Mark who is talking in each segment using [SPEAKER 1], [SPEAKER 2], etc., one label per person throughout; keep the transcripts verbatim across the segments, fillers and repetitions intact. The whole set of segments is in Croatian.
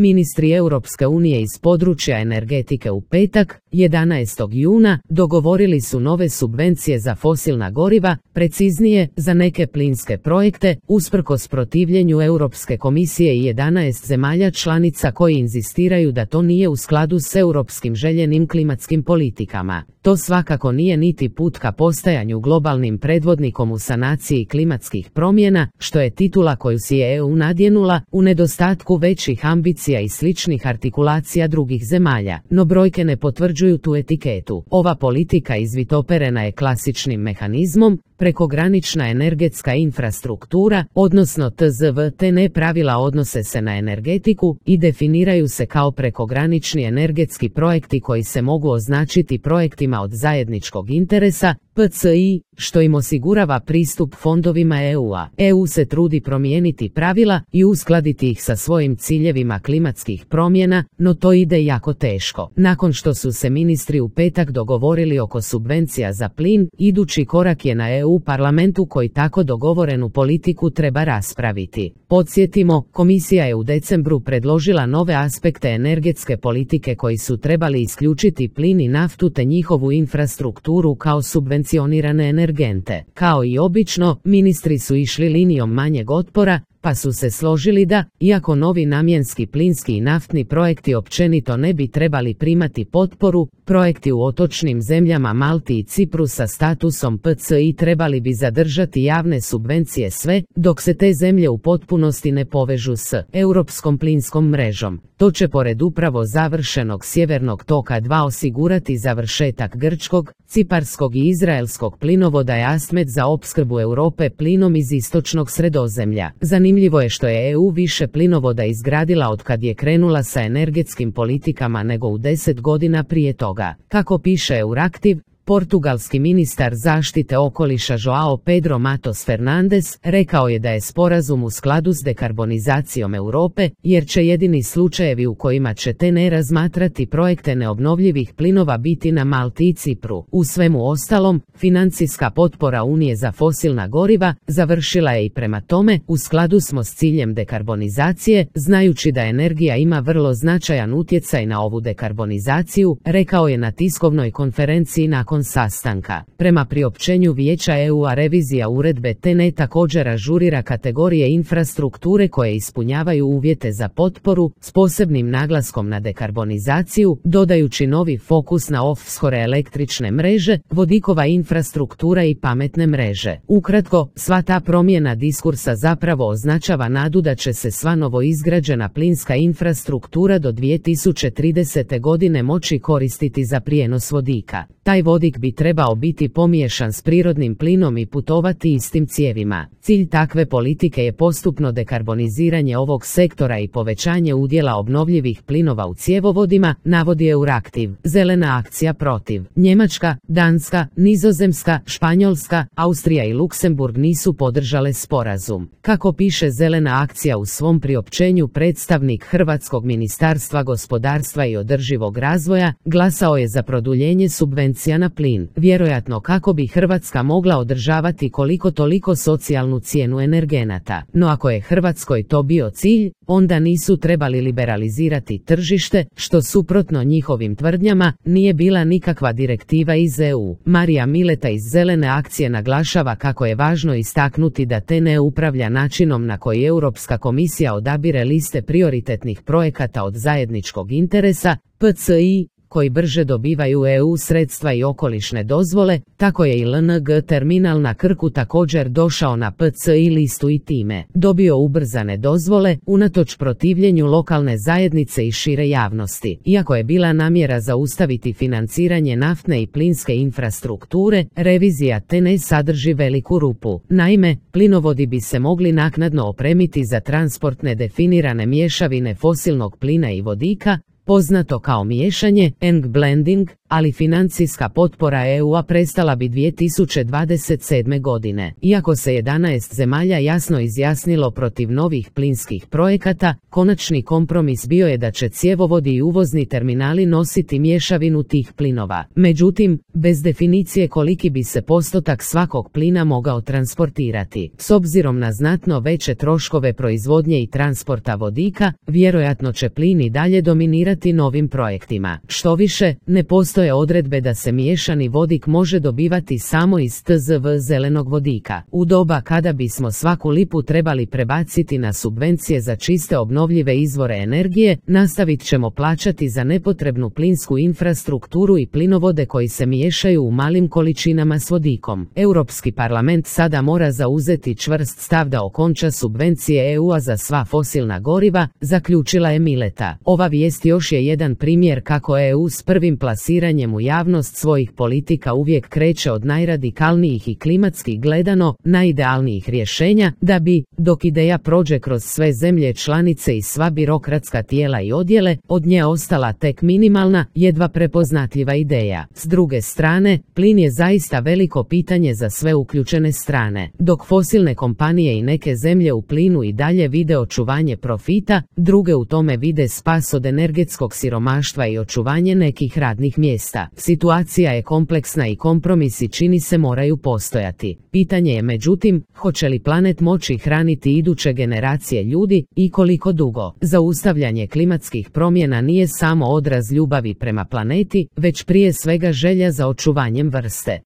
[SPEAKER 1] ministri Europske unije iz područja energetike u petak, jedanaestog juna, dogovorili su nove subvencije za fosilna goriva, preciznije, za neke plinske projekte, usprkos protivljenju Europske komisije i jedanaest zemalja članica koji inzistiraju da to nije u skladu s europskim željenim klimatskim politikama. To svakako nije niti put ka postajanju globalnim predvodnikom u sanaciji klimatskih promjena, što je titula koju si je E U nadjenula, u nedostatku većih ambicija i sličnih artikulacija drugih zemalja, no brojke ne potvrđuju tu etiketu. Ova politika izvitoperena je klasičnim mehanizmom, prekogranična energetska infrastruktura, odnosno T Z V T N pravila odnose se na energetiku i definiraju se kao prekogranični energetski projekti koji se mogu označiti projektima od zajedničkog interesa, P C I, što im osigurava pristup fondovima E U-a. E U se trudi promijeniti pravila i uskladiti ih sa svojim ciljevima klimatskih promjena, no to ide jako teško. Nakon što su se ministri u petak dogovorili oko subvencija za plin, idući korak je na E U parlamentu koji tako dogovorenu politiku treba raspraviti. Podsjetimo, komisija je u decembru predložila nove aspekte energetske politike koji su trebali isključiti plin i naftu te njihovu infrastrukturu kao subvencionirane energente. Kao i obično, ministri su išli linijom manjeg otpora, pa su se složili da, iako novi namjenski plinski i naftni projekti općenito ne bi trebali primati potporu, projekti u otočnim zemljama Malti i Cipru sa statusom P C I trebali bi zadržati javne subvencije sve, dok se te zemlje u potpunosti ne povežu s europskom plinskom mrežom. To će pored upravo završenog Sjevernog toka dva osigurati završetak grčkog, ciparskog i izraelskog plinovoda Jasmed za opskrbu Europe plinom iz istočnog Sredozemlja. Zanimljivo je što je E U više plinovoda izgradila od kad je krenula sa energetskim politikama nego u deset godina prije toga. Kako piše Euraktiv, portugalski ministar zaštite okoliša Joao Pedro Matos Fernandes rekao je da je sporazum u skladu s dekarbonizacijom Europe, jer će jedini slučajevi u kojima će T N razmatrati projekte neobnovljivih plinova biti na Malti i Cipru. U svemu ostalom, financijska potpora Unije za fosilna goriva završila je i prema tome, u skladu smo s ciljem dekarbonizacije, znajući da energija ima vrlo značajan utjecaj na ovu dekarbonizaciju, rekao je na tiskovnoj konferenciji nakon sastanka. Prema priopćenju Vijeća E U-a revizija uredbe T N također ažurira kategorije infrastrukture koje ispunjavaju uvjete za potporu, s posebnim naglaskom na dekarbonizaciju, dodajući novi fokus na offshore električne mreže, vodikova infrastruktura i pametne mreže. Ukratko, sva ta promjena diskursa zapravo označava nadu da će se sva novoizgrađena plinska infrastruktura do dvije tisuće tridesete godine moći koristiti za prijenos vodika. Taj vodik bi trebao biti pomiješan s prirodnim plinom i putovati istim cijevima. Cilj takve politike je postupno dekarboniziranje ovog sektora i povećanje udjela obnovljivih plinova u cjevovodima, navodi Euraktiv. Zelena akcija protiv. Njemačka, Danska, Nizozemska, Španjolska, Austrija i Luksemburg nisu podržale sporazum. Kako piše Zelena akcija u svom priopćenju, predstavnik Hrvatskog ministarstva gospodarstva i održivog razvoja glasao je za produljenje subvencija na plin, vjerojatno kako bi Hrvatska mogla održavati koliko toliko socijalnu cijenu energenata. No ako je Hrvatskoj to bio cilj, onda nisu trebali liberalizirati tržište, što suprotno njihovim tvrdnjama, nije bila nikakva direktiva iz E U. Marija Mileta iz Zelene akcije naglašava kako je važno istaknuti da T N upravlja načinom na koji Europska komisija odabire liste prioritetnih projekata od zajedničkog interesa, P C I, koji brže dobivaju E U sredstva i okolišne dozvole, tako je i L N G terminal na Krku također došao na P C I listu i time dobio ubrzane dozvole, unatoč protivljenju lokalne zajednice i šire javnosti. Iako je bila namjera zaustaviti financiranje naftne i plinske infrastrukture, revizija T N sadrži veliku rupu. Naime, plinovodi bi se mogli naknadno opremiti za transportne definirane mješavine fosilnog plina i vodika, poznato kao miješanje, eng blending, ali financijska potpora E U-a prestala bi dvije tisuće dvadeset sedme. godine. Iako se jedanaest zemalja jasno izjasnilo protiv novih plinskih projekata, konačni kompromis bio je da će cjevovodi i uvozni terminali nositi mješavinu tih plinova. Međutim, bez definicije koliki bi se postotak svakog plina mogao transportirati. S obzirom na znatno veće troškove proizvodnje i transporta vodika, vjerojatno će plin i dalje dominirati novim projektima. Štoviše, ne postoje odredbe da se miješani vodik može dobivati samo iz T Z V zelenog vodika. U doba kada bismo svaku lipu trebali prebaciti na subvencije za čiste obnovljive izvore energije, nastavit ćemo plaćati za nepotrebnu plinsku infrastrukturu i plinovode koji se miješaju u malim količinama s vodikom. Europski parlament sada mora zauzeti čvrst stav da okonča subvencije E U-a za sva fosilna goriva, zaključila je Mileta. Ova vijest još je jedan primjer kako E U s prvim plasiranjem u javnost svojih politika uvijek kreće od najradikalnijih i klimatski gledano najidealnijih rješenja, da bi, dok ideja prođe kroz sve zemlje članice i sva birokratska tijela i odjele, od nje ostala tek minimalna, jedva prepoznatljiva ideja. S druge strane, plin je zaista veliko pitanje za sve uključene strane. Dok fosilne kompanije i neke zemlje u plinu i dalje vide očuvanje profita, druge u tome vide spas od energetskog siromaštva i očuvanje nekih radnih mjesta. Situacija je kompleksna i kompromisi čini se moraju postojati. Pitanje je međutim, hoće li planet moći hraniti iduće generacije ljudi i koliko dugo. Zaustavljanje klimatskih promjena nije samo odraz ljubavi prema planeti, već prije svega želja za očuvanjem vrste.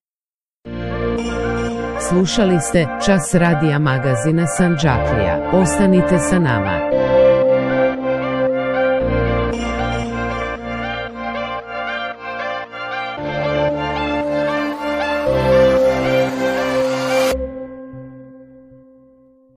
[SPEAKER 1] Slušali ste Čas radija magazina Sandžaklija. Ostanite sa nama.